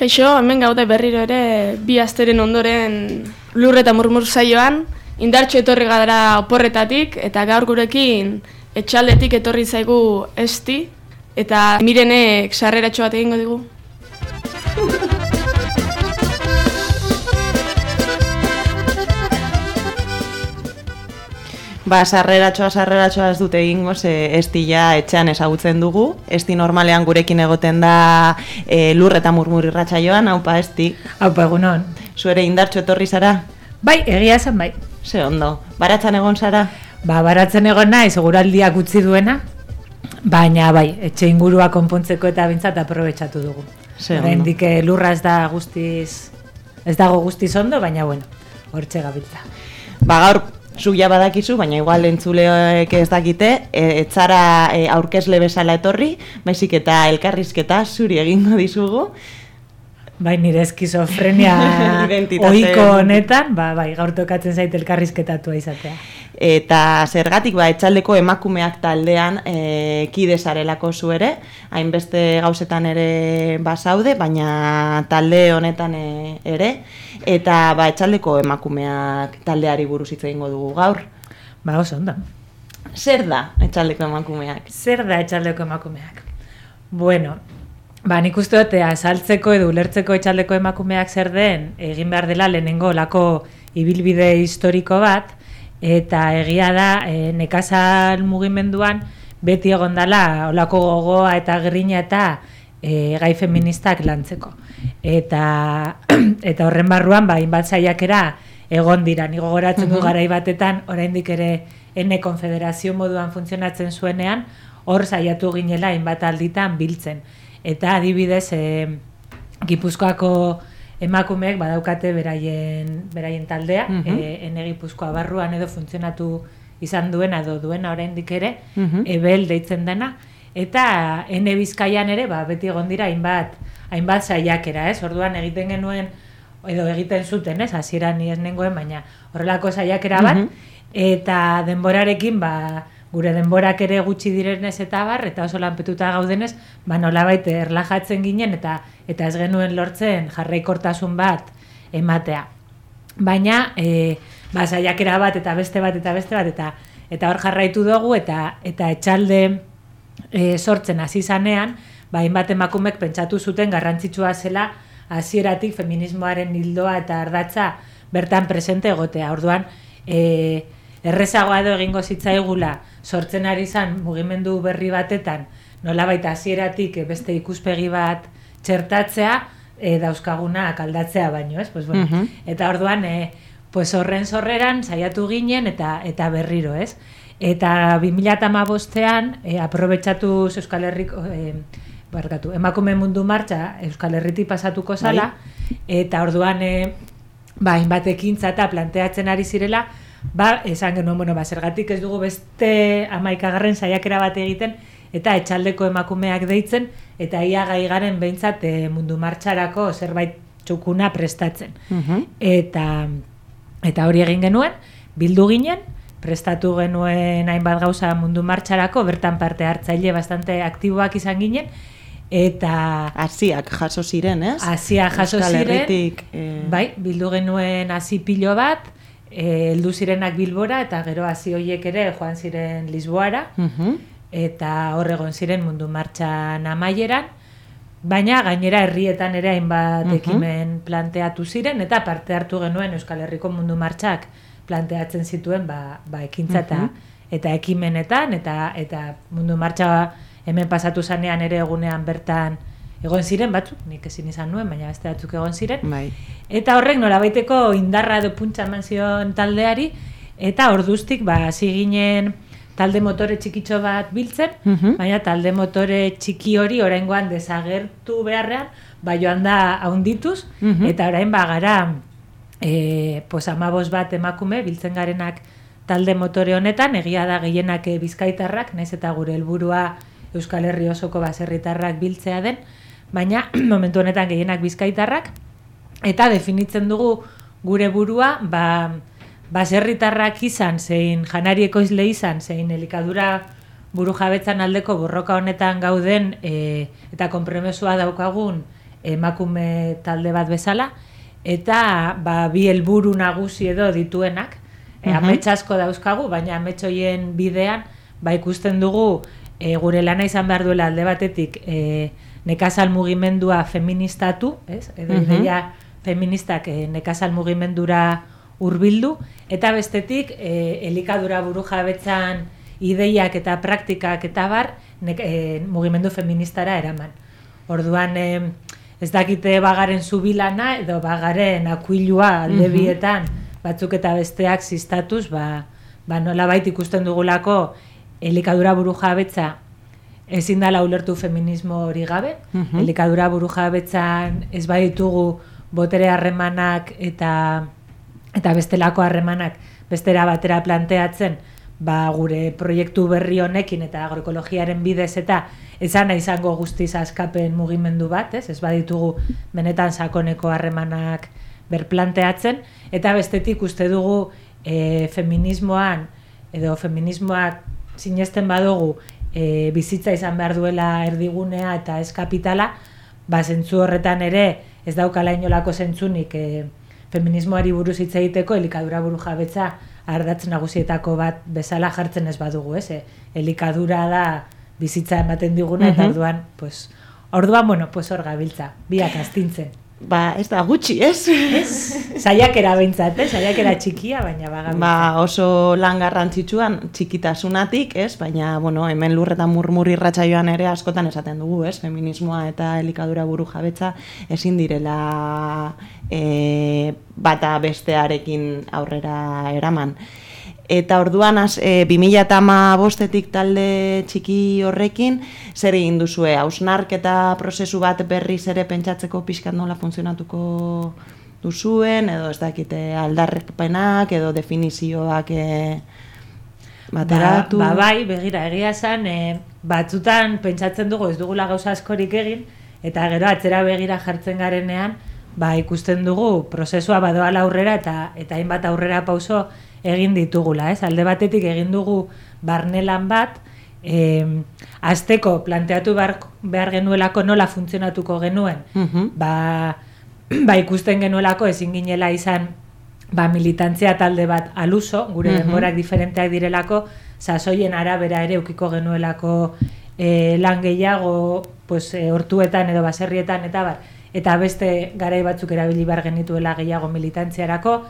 Kaixo, hemen gaude berriro ere bi asteren ondoren lur eta murmur saioan, indartxo etorri gara oporretatik, eta gaur gurekin etxaldetik etorri zaigu Esti, eta Mirenek sarreratxo bat egingo digu. Sarreratxoa ez dute egingo, Esti ja etxean ezagutzen dugu. Esti normalean gurekin egoten da lur eta murmur irratsaioan. Haupa, Esti. Haupa, egunon. Zuere indartxo etorri zara? Bai, egia esan bai. Ze ondo. Baratzen egon zara? Baratzen egon naiz, eguraldiak utzi duena, baina bai, etxe ingurua konpontzeko eta bintzat aprobetxatu dugu. Oraindik lurra ez dago guztiz ondo, baina bueno, hortxe gabiltza. Gaur zuk ja badakizu, baina igual entzuleek ez dakite, ez zara aurkezle bezala etorri, baizik eta elkarrizketa zuri egingo dizugu. Bai, nire eskizofrenia ohiko honetan, bai, gaur tokatzen zait elkarrizketatua izatea. Eta zergatik, etxaldeko emakumeak taldean kide zarelako zu ere, hainbeste gauzetan ere bazaude, baina talde honetan ere, eta etxaldeko emakumeak taldeari buruz hitz egingo dugu gaur. Oso ondo. Zer da etxaldeko emakumeak? Zer da etxaldeko emakumeak? Bueno, nik uste dut azaltzeko edo ulertzeko etxaldeko emakumeak zer den, egin behar dela lehenengo olako ibilbide historiko bat, eta egia da nekazal mugimenduan beti egon dela olako gogoa eta grina eta gai feministak lantzeko. Eta horren barruan hainbat saiakera egon dira. Ni gogoratzen du garai batetan oraindik ere ene konfederazio moduan funtzionatzen zuenean, hor saiatu ginela hainbat alditan biltzen. Eta adibidez Gipuzkoako emakumeek badaukate beraien taldea, ene Gipuzkoa barruan edo funtzionatu izan duena edo duena oraindik ere, ebel deitzen dena, eta ene Bizkaian ere beti egon dira hainbat saiakera, orduan egiten genuen, edo egiten zuten, hasieran ni ez nengoen, baina horrelako saiakera bat, eta denborarekin gure denborak ere gutxi direnez eta eta oso lanpetuta gaudenez, nolabait erlajatzen ginen eta ez genuen lortzen jarraikortasun bat ematea. Baina, saiakera bat eta beste bat eta hor jarraitu dugu eta etxalde sortzen hasi zanean, hainbat emakumek pentsatu zuten garrantzitsua zela hasieratik feminismoaren ildoa eta ardatza bertan presente egotea. Orduan, errezagoa edo egingo zitzaigula sortzen ari zan mugimendu berri batetan, nolabait hasieratik beste ikuspegi bat txertatzea, dauzkagunak aldatzea baino, ez? Eta orduan, horren sorreran saiatu ginen eta berriro, ez? Eta 2015ean aprobetxatuz Euskal Herriko, emakume mundu martxa Euskal Herritik pasatuko zala, eta orduan hainbat ekintza eta planteatzen ari zirela, esan genuen, zergatik ez dugu beste 11. saiakera bat egiten, eta etxaldeko emakumeak deitzen, eta ia gai garen behintzat mundu martxarako zerbait txukuna prestatzen. Eta hori egin genuen, bildu ginen, prestatu genuen hainbat gauza mundu martxarako, bertan parte hartzaile bastante aktiboak izan ginen, eta hasiak jaso ziren, ez? Hasiak jaso ziren, bai, bildu genuen hasi pilo bat, heldu zirenak Bilbora, eta gero hasi horiek ere joan ziren Lisboara, eta hor egon ziren mundu martxan amaieran, baina gainera herrietan ere hainbat ekimen planteatu ziren, eta parte hartu genuen Euskal Herriko mundu martxak planteatzen zituen ekintza eta ekimenetan, eta mundu martxa hemen pasatu zanean ere egunean bertan egon ziren batzuk, nik ezin izan nuen, baina beste batzuk egon ziren. Eta horrek nolabaiteko indarra edo puntza eman zion taldeari, eta orduztik hasi ginen talde motore txikitxo bat biltzen, baina talde motore txiki hori oraingoan desagertu beharrean, joan da haundituz, eta orain gara 15 bat emakume biltzen garenak talde motore honetan, egia da gehienak bizkaitarrak, naiz eta gure helburua Euskal Herri osoko baserritarrak biltzea den, baina momentu honetan gehienak bizkaitarrak, eta definitzen dugu gure burua, baserritarrak izan, zein janari ekoizle izan, zein elikadura buru jabetzan aldeko borroka honetan gauden eta konpromesua daukagun emakume talde bat bezala, eta bi helburu nagusi edo dituenak, amets asko dauzkagu, baina amets horien bidean, ikusten dugu gure lana izan behar duela alde batetik nekazal mugimendua feministatu, edo ideia feministak nekazal mugimendura hurbildu, eta bestetik elikadura burujabetzan ideiak eta praktikak eta bar mugimendu feministara eraman. Orduan ez dakite bagaren zubilana edo bagaren akuilua alde bietan batzuk eta besteak ziztatuz, nolabait ikusten dugulako elikadura burujabetza ezin dela ulertu feminismo hori gabe. Elikadura burujabetzan ez baditugu botere harremanak eta bestelako harremanak bestera batera planteatzen, gure proiektu berri honekin eta agroekologiaren bidez eta ezana izango guztiz askapen mugimendu bat, ez baditugu benetan sakoneko harremanak berplanteatzen, eta bestetik uste dugu feminismoan edo feminismoak sinesten badugu bizitza izan behar duela erdigunea eta ez kapitala, zentzu horretan ere ez daukala inolako zentzunik feminismoari buruz hitz egiteko elikadura burujabetza ardatz nagusietako bat bezala jartzen ez badugu, elikadura da bizitza ematen diguna, eta orduan hor gabiltza, biak astintzen. Ez da gutxi, ez? Saiakera behintzat, saiakera txikia, baina bagabiltza. Oso lan garrantzitsuan txikitasunatik, ez? Baina, hemen lurretan murmur irratsaioan ere askotan esaten dugu, ez? Feminismoa eta elikadura burujabetza ezin direla bata bestearekin aurrera eraman. Eta orduan 2015etik talde txiki horrekin, zer egin duzue? Hausnarketa prozesu bat berriz ere pentsatzeko pixkat nola funtzionatuko duzuen, edo ez dakite aldarrepenak, edo definizioak bateratu? Begira, egia esan, batzutan pentsatzen dugu ez dugula gauza askorik egin, eta gero atzera begira jartzen garenean, ikusten dugu prozesua badoala aurrera eta hainbat aurrera pauso egin ditugula, alde batetik egin dugu barnelan bat, hasteko planteatu behar genuelako nola funtzionatuko genuen, ikusten genuelako ezin ginela izan militantzia talde bat aluso, gure denborak diferenteak direlako, sasoien arabera ere ukiko genuelako lan gehiago hortuetan edo baserrietan eta beste garai batzuk erabili behar genituela gehiago militantziarako,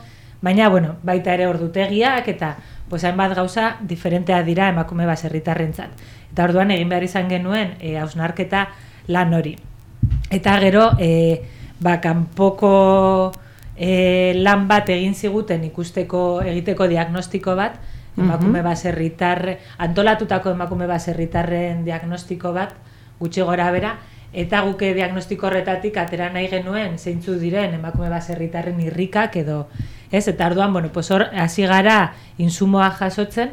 baina, baita ere ordutegiak eta hainbat gauza diferentea dira emakume baserritarrentzat. Eta orduan egin behar izan genuen hausnarketa lan hori. Eta gero, kanpoko lan bat egin ziguten egiteko diagnostiko bat, emakume baserritar, antolatutako emakume baserritarren diagnostiko bat, gutxi gora bera, eta guke diagnostiko horretatik atera nahi genuen zeintzu diren emakume baserritarren irrikak edo, eta orduan, hor hasi gara insumoa jasotzen,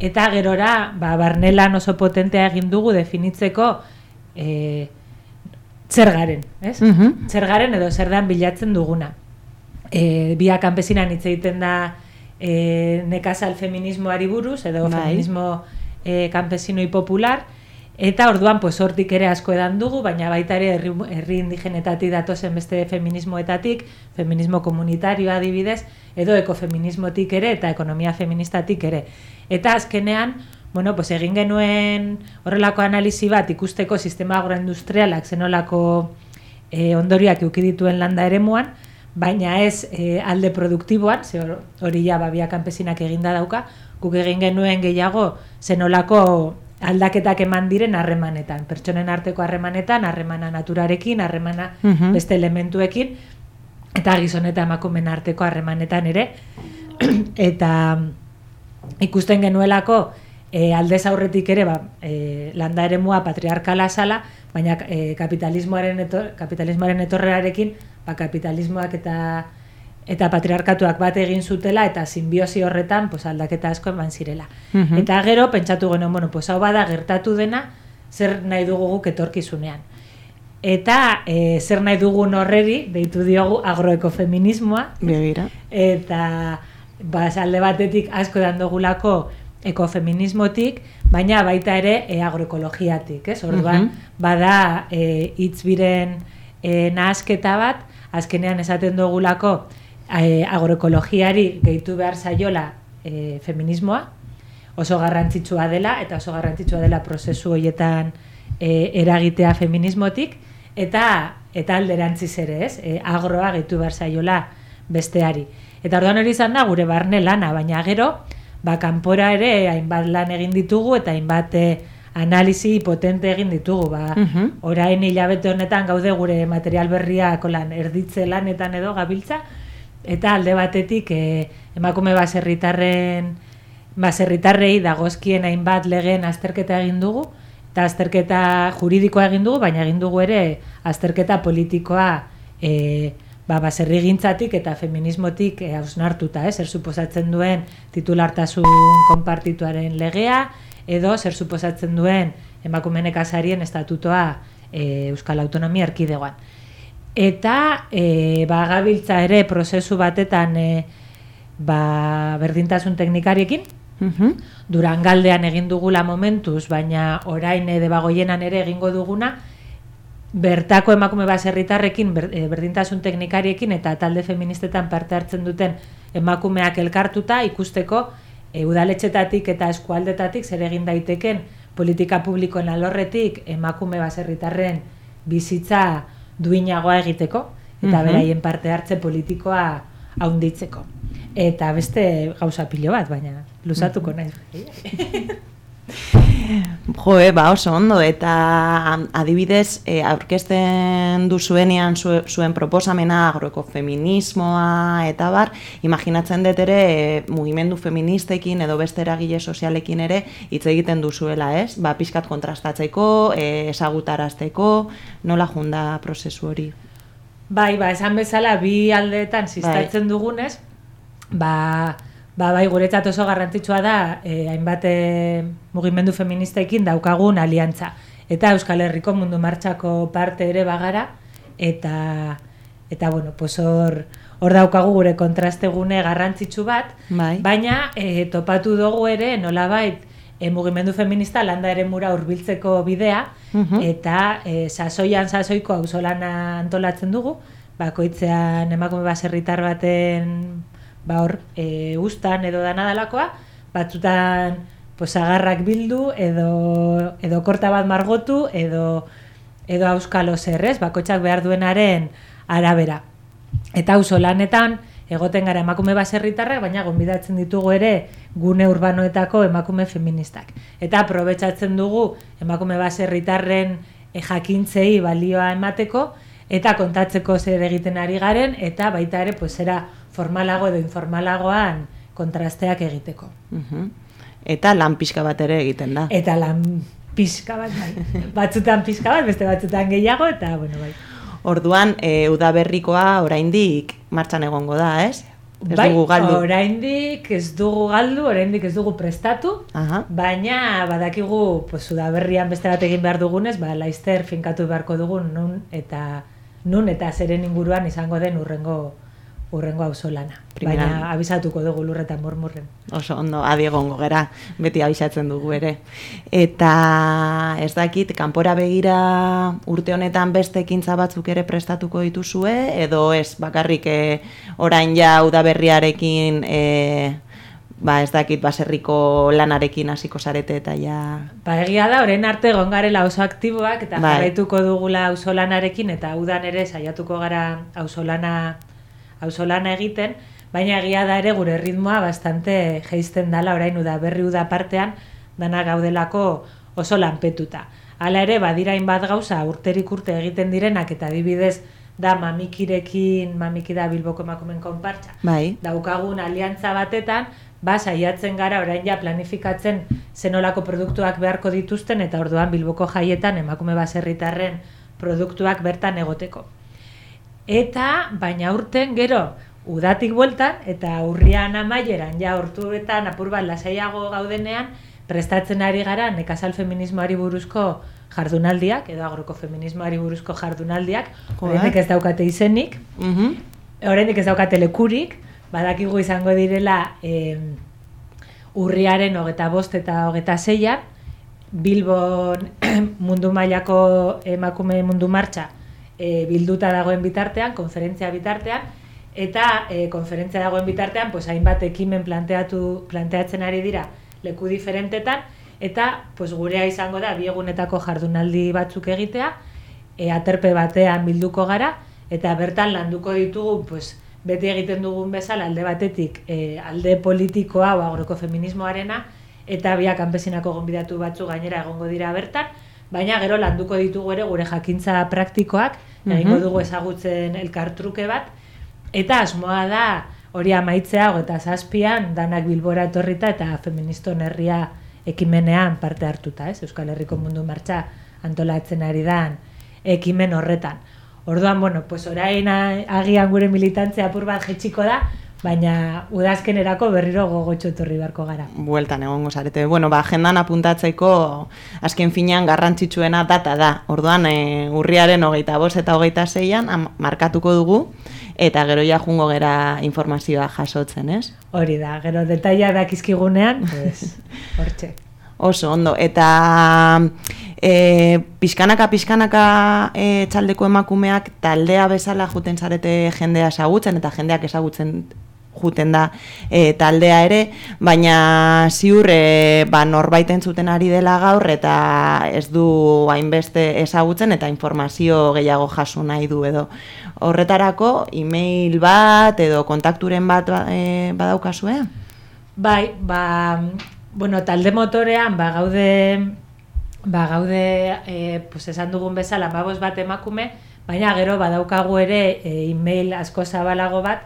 eta gerora, barnelan oso potentea egin dugu definitzeko zer garen, zer garen edo zer dan bilatzen duguna. Bia kanpesinan hitz egiten da nekazal feminismoari buruz, edo feminismo kanpesinoi popular, eta orduan hortik ere asko edan dugu, baina baita ere herri indigenetatik datozen beste feminismoetatik, feminismo komunitarioa adibidez, edo ekofeminismotik ere eta ekonomia feministatik ere. Eta azkenean, egin genuen horrelako analisi bat ikusteko sistema agroindustrialak zenolako ondorioak eduki dituen landa eremuan, baina ez alde produktiboan, hori ja babia kanpesinak eginda dauka, guk egin genuen gehiago zenolako aldaketak eman diren harremanetan, pertsonen arteko harremanetan, harremana naturarekin, harremana beste elementuekin, eta gizon eta emakumeen arteko harremanetan ere, eta ikusten genuelako aldez aurretik ere landa eremua patriarkala zala, baina kapitalismoaren etorrerarekin kapitalismoak eta patriarkatuak bat egin zutela eta sinbiosi horretan aldaketa asko eman zirela. Eta gero pentsatu genuen, hau bada gertatu dena zer nahi dugu guk etorkizunean. Eta zer nahi dugun horreri deitu diogu agroekofeminismoa. Begira. Eta alde batetik asko edan dugulako ekofeminismotik, baina baita ere agroekologiatik, ez? Orduan, bada hitz biren nahasketa bat, azkenean esaten dugulako agroekologiari gehitu behar zaiola feminismoa, oso garrantzitsua dela, eta oso garrantzitsua dela prozesu horietan eragitea feminismotik, eta alderantziz ere, ez? Agroa gehitu behar zaiola besteari. Eta orduan hori izan da gure barne lana, baina gero, kanpora ere hainbat lan egin ditugu eta hainbat analisi potente egin ditugu. Orain hilabete honetan gaude gure material berriak erditze lanetan edo gabiltza, eta alde batetik emakume baserritarrei dagozkien hainbat legeen azterketa egin dugu, eta azterketa juridikoa egin dugu, baina egin dugu ere azterketa politikoa baserrigintzatik eta feminismotik hausnartuta, zer suposatzen duen titulartasun konpartituaren legea, edo zer suposatzen duen emakume nekazarien estatutoa Euskal Autonomia Erkidegoan. Eta gabiltza ere prozesu batetan berdintasun teknikariekin, Durangaldean egin dugula momentuz, baina orain Debagoienan ere egingo duguna, bertako emakume baserritarrekin, berdintasun teknikariekin eta talde feministetan parte hartzen duten emakumeak elkartuta ikusteko udaletxetatik eta eskualdetatik zer egin daiteken politika publikoen alorretik emakume baserritarren bizitza duinagoa egiteko eta beraien parte hartze politikoa haunditzeko. Eta beste gauza pilo bat, baina luzatuko naiz. Oso ondo, eta adibidez, aurkezten duzuenean zuen proposamena agroekofeminismoa eta bar, imaginatzen dut ere mugimendu feministekin edo beste eragile sozialekin ere hitz egiten duzuela, ez? Pixkat kontrastatzeko, ezagutarazteko, nola junda prozesu hori? Bai, esan bezala bi aldeetan sistatzen dugunez, bai, guretzat oso garrantzitsua da hainbat mugimendu feministekin daukagun aliantza. Eta Euskal Herriko mundu martxako parte ere bagara, eta bueno, hor daukagu gure kontrastegune garrantzitsu bat, baina topatu dugu ere nolabait mugimendu feminista landa ere mura hurbiltzeko bidea, eta sasoiko auzolana antolatzen dugu, bakoitzean emakume baserritar baten ustan edo danadalakoa, batzutan agarrak bildu edo korta bat margotu edo auskalo zerrez, bakoitzak behar duenaren arabera. Eta auzolanetan egoten gara emakume baserritarrak, baina gonbidatzen ditugu ere gune urbanoetako emakume feministak. Eta aprobetxatzen dugu emakume baserritarren jakintzei balioa emateko, eta kontatzeko zer egiten ari garen, eta baita ere zera formalago edo informalagoan kontrasteak egiteko. Eta lan pixka bat ere egiten da. Eta lan pixka bat, batzutan pixka bat, beste batzutan gehiago, eta bueno, bai. Orduan, udaberrikoa oraindik martxan egongo da, ez? Bai, oraindik ez dugu galdu, oraindik ez dugu prestatu, baina badakigu udaberrian beste bat egin behar dugunez, laizter finkatu beharko dugun nun eta zeren inguruan izango den urrengo auzolana. Baina abisatuko dugu lurretan murmurren. Oso ondo, adi egongo gera, beti abisatzen dugu ere. Eta ez dakit, kanpora begira urte honetan beste ekintza batzuk ere prestatuko dituzue, edo ez bakarrik orain ja udaberriarekin ez dakit baserriko lanarekin hasiko zarete eta ja... Egia da, orain arte gongarela oso aktiboak eta jarraituko dugula auzolanarekin eta udan ere saiatuko gara auzolana egiten, baina egia da ere gure ritmoa bastante jeizten dala orain udaberri uda partean dana gaudelako oso lanpetuta. Hala ere, badira hainbat gauza urterik urte egiten direnak eta adibidez da Mamiki da Bilboko emakumeen konpartsa. Daukagun aliantza batetan, saiatzen gara orain ja planifikatzen zenolako produktuak beharko dituzten eta orduan Bilboko jaietan emakume baserritarren produktuak bertan egoteko. Eta, baina urten gero, udatik bueltan eta urrian amaieran, ja hortuetan apur bat lasaiago gaudenean, prestatzen ari gara nekazal feminismoari buruzko jardunaldiak, edo agroekofeminismoari buruzko jardunaldiak, horrenik ez daukate izenik, horrenik ez daukate lekurik, badakigu izango direla urriaren 25 eta 26an, Bilbon mundu mailako emakume mundu martxa bilduta dagoen bitartean, konferentzia bitartean, eta konferentzia dagoen bitartean, pues, hainbat ekimen planteatzen ari dira leku diferentetan, eta pues, gurea izango da, 2 egunetako jardunaldi batzuk egitea, aterpe batean bilduko gara, eta bertan landuko ditugu, pues, beti egiten dugun bezala, alde batetik, alde politikoa o agrokofeminismoarena, eta biak kanpesinako gonbidatu batzu gainera egongo dira bertan, baina gero landuko ditugu ere gure jakintza praktikoak, egingo dugu ezagutzen elkartruke bat, eta asmoa da hori amaitzea 27an danak Bilbora etorrita eta Feministon Herria ekimenean parte hartuta, Euskal Herriko Mundu Martxa antolatzen ari dan ekimen horretan. Orduan, bueno, pues orain agian gure militantzia apur bat jetxiko da, baina udazkenerako berriro gogotxo etorri beharko gara. Bueltan egongo zarete. Bueno, agendan apuntatzeko azken finean garrantzitsuena data da. Orduan, urriaren 25 eta 26an markatuko dugu, eta gero ja jungo gera informazioa jasotzen, ez? Hori da, gero detaila dakizkigunean, pues, hortxe. Oso, ondo. Eta pixkanaka txaldeko emakumeak taldea bezala juten zarete jendea ezagutzen, eta jendeak ezagutzen juten da taldea ere, baina ziur norbait entzuten ari dela gaur, eta ez du hainbeste ezagutzen, eta informazio gehiago jaso nahi du edo. Horretarako, e-mail bat edo kontakturen bat badaukazue? Bai, bueno, talde motorean gaude pues esan dugun bezala 15 bat emakume, baina gero badaukagu ere e-mail asko zabalago bat,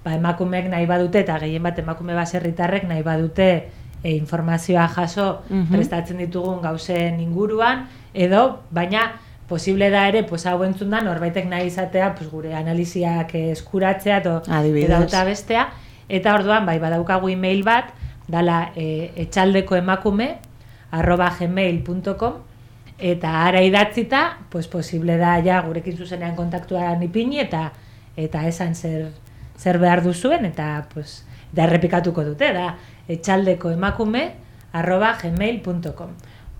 emakumeek nahi badute eta gehien bat emakume baserritarrek nahi badute informazioa jaso prestatzen ditugun gauzen inguruan, edo baina posible da ere, pues hau entzun da norbaitek nahi izatea, pues gure analiziak eskuratzea edo bestea, eta orduan badaukagu e-mail bat dala etxaldekoemakume@gmail.com, eta ara idatzita, pues posible da ja gurekin zuzenean kontaktuan ipini eta esan zer behar duzuen, eta pues da errepikatuko dute, da etxaldekoemakume@gmail.com.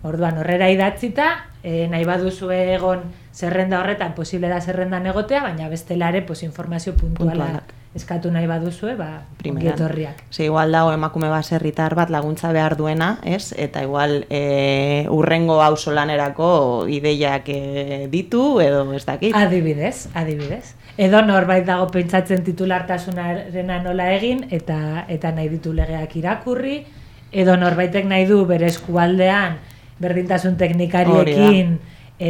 Orduan horrera idatzita, nahi baduzu egon zerrenda horretan, posible da zerrendan egotea, baina bestelare pues informazio puntuala eskatu nahi baduzue, ongi etorriak. Igual dago emakume baserritar bat laguntza behar duena, ez? Eta igual urrengo auzolanerako ideiak ditu, edo ez dakit? Adibidez. Edo norbait dago pentsatzen titulartasunarena nola egin, eta nahi ditu legeak irakurri, edo norbaitek nahi du bere eskualdean berdintasun teknikariekin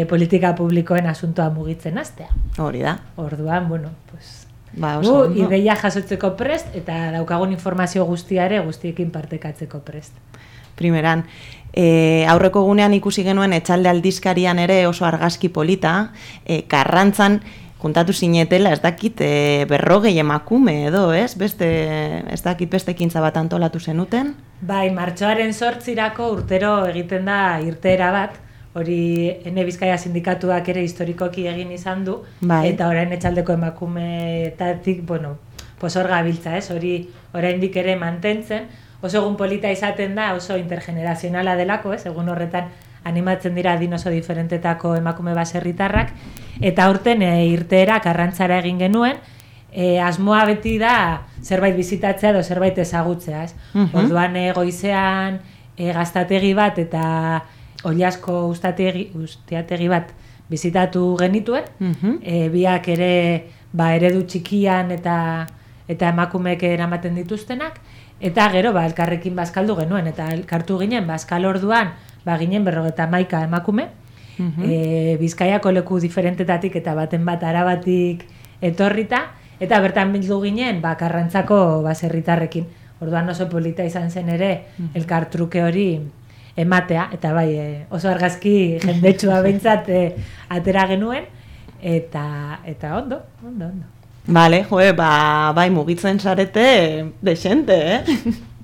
politika publikoen asuntoa mugitzen hastea. Hori da. Orduan, bueno, pues ideia jasotzeko prest, eta daukagun informazio guztiekin partekatzeko prest. Primeran, aurreko gunean ikusi genuen Etxalde aldizkarian ere oso argazki polita, Karrantzan juntatu zinetela, ez dakit, 40 emakume edo, ez? Ez dakit beste ekintza bat antolatu zenuten? Bai, martxoaren 8irako urtero egiten da irteera bat, hori Ene Bizkaia sindikatuak ere historikoki egin izan du, eta orain Etxaldeko emakumeetatik, bueno, hor gabiltza, ez? Hori oraindik ere mantentzen, oso egun polita izaten da, oso intergenerazionala delako, ez? Egun horretan animatzen dira adin oso diferentetako emakume baserritarrak, eta aurten irteera Karrantzara egin genuen, asmoa beti da zerbait bizitatzea edo zerbait ezagutzea, ez? Orduan goizean gaztategi bat eta Oliasko ustiategi bat bizitatu genituen, biak ere eredu txikian eta emakumeek eramaten dituztenak, eta gero elkarrekin bazkaldu genuen, eta elkartu ginen bazkal orduan ginen 51 emakume, Bizkaiako leku diferentetatik eta baten bat Arabatik etorrita, eta bertan bildu ginen Karrantzako baserritarrekin. Orduan oso polita izan zen ere elkartruke hori ematea, eta oso argazki jendetsua behintzat atera genuen, eta ondo. Bale, mugitzen zarete desente,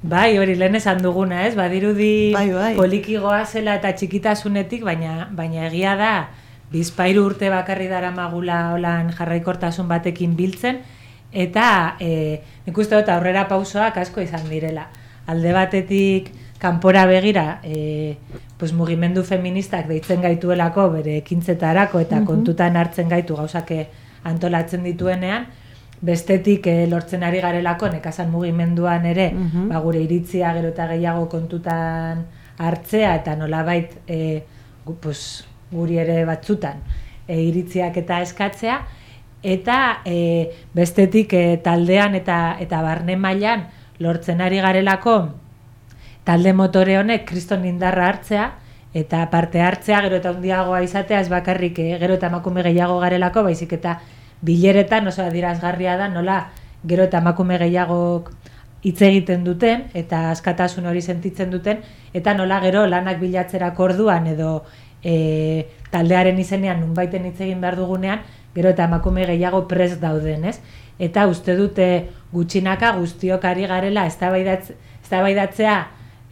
Bai, hori lehen esan duguna, ez? Badirudi poliki goazela eta txikitasunetik, baina egia da, 2 urte bakarri daramagula holan jarraikortasun batekin biltzen, eta nik uste dut aurrera pausoak asko izan direla. Alde batetik kanpora begira pues mugimendu feministak deitzen gaituelako bere ekintzetarako eta kontutan hartzen gaitu gauzake antolatzen dituenean, bestetik lortzen ari garelako nekazal mugimenduan ere gure iritzia gero eta gehiago kontutan hartzea eta nolabait pues, guri ere batzutan iritziak eta eskatzea, eta bestetik taldean eta barne mailan lortzen ari garelako talde motore honek kriston indarra hartzea eta parte hartzea gero eta handiagoa izatea, ez bakarrik gero eta emakume gehiago garelako, baizik eta bileretan oso adierazgarria da nola gero eta emakume gehiagok hitz egiten duten eta askatasun hori sentitzen duten, eta nola gero lanak bilatzerako orduan edo taldearen izenean nunbaiten hitz egin behar dugunean, gero eta emakume gehiago prest dauden, ez? Eta uste dute gutxinaka guztiok ari garela eztabaidatzea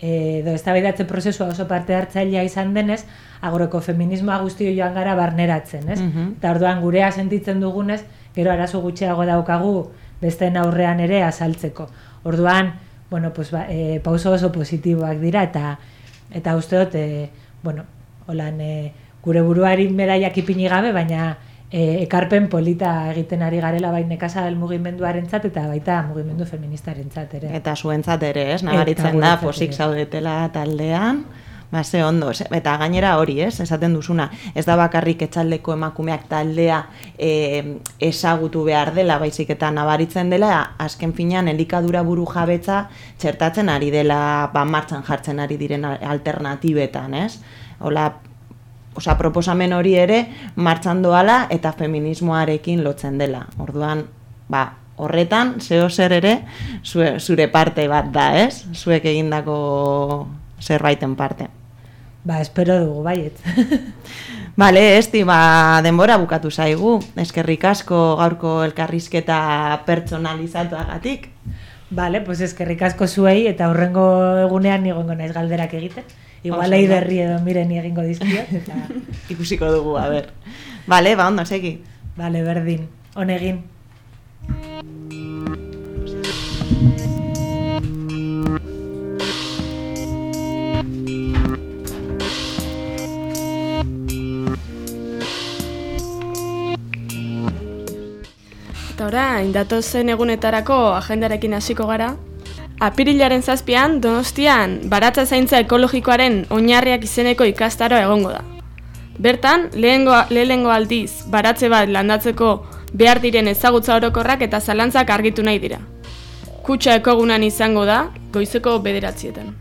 edo eztabaidatze prozesua oso parte hartzailea izan denez, agrokofeminismoa guztio joan gara barneratzen, ez? Eta orduan gurea sentitzen dugunez, gero arazo gutxiago daukagu besteen aurrean ere azaltzeko. Orduan, bueno, pues, pauso oso positiboak dira eta uste dut, bueno, holan gure buruari medaiak ipini gabe, baina ekarpen polita egiten ari garela bai nekazal mugimenduarentzat eta baita mugimendu feministarentzat ere. Eta zuentzat ere, ez? Nabaritzen da, posik zaudetela taldean. Ze ondo, eta gainera hori, esaten duzuna, ez da bakarrik etxaldeko emakumeak taldea ezagutu behar dela, baizik eta nabaritzen dela, azken finean elikadura buru jabetza txertatzen ari dela, martxan jartzen ari diren alternatibetan, ez? Hola, proposamen hori ere martxan doala eta feminismoarekin lotzen dela. Orduan, horretan, zeo zer ere, zure parte bat da, ez? Zuek egindako zerbaiten parte. Espero dugu, baiet. Bale, Esti, denbora bukatu zaigu. Eskerrik asko gaurko elkarrizketa pertsonalizatuagatik. Bale, pues eskerrik asko zuei eta horrengo egunean nigongo naiz galderak egiten. Igual eiderri edo miren egingo dizkiot. Ikusiko dugu, a ber. Bale, ondo, segi. Bale, berdin. Honegin. Eta orain, datozen egunetarako agendarekin hasiko gara. Apirilaren 7an, Donostian, baratza zaintza ekologikoaren oinarriak izeneko ikastaroa egongo da. Bertan, lehenengo aldiz, baratze bat landatzeko behar diren ezagutza orokorrak eta zalantzak argitu nahi dira. Kutxa ekogunan izango da, goizeko 9:00.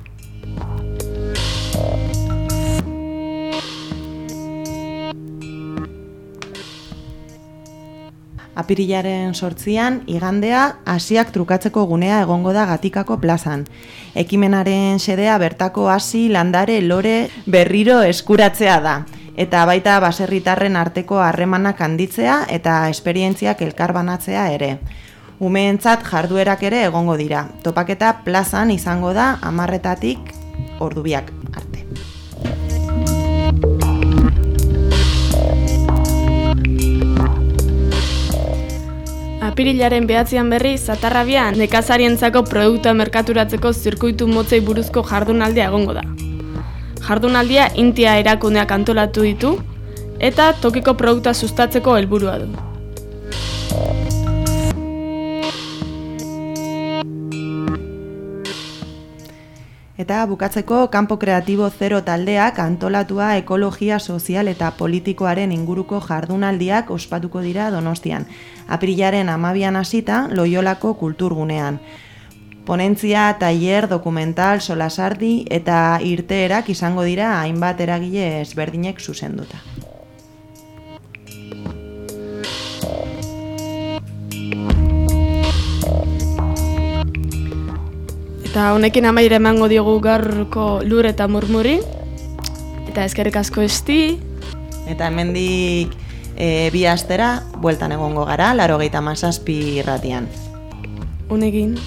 Apirilaren 8an, igandea, hasiak trukatzeko gunea egongo da Gatikako plazan. Ekimenaren xedea bertako hasi, landare, lore, berriro eskuratzea da. Eta baita baserritarren arteko harremanak handitzea eta esperientziak elkarbanatzea ere. Umeentzat jarduerak ere egongo dira. Topaketa plazan izango da 10:00 ordubiak arte. Apirilaren 9an berriz, Zatarrabian nekazarientzako produktua merkaturatzeko zirkuitu motzei buruzko jardunaldia egongo da. Jardunaldia Intia erakundeak antolatu ditu eta tokiko produktua sustatzeko helburua du. Eta bukatzeko Kanpo Kreatibo Zero taldeak antolatua ekologia sozial eta politikoaren inguruko jardunaldiak ospatuko dira Donostian. Apirilaren 12an hasita Loiolako kulturgunean. Ponentzia, tailer, dokumental, solasardi eta irteerak izango dira hainbat eragile ezberdinek zuzenduta. Eta honekin amaiera emango diogu gaurko Lur eta Murmuri. Eta eskerrik asko Esti. Eta hemendik 2 astera bueltan egongo gara, 97 irratian. Honekin.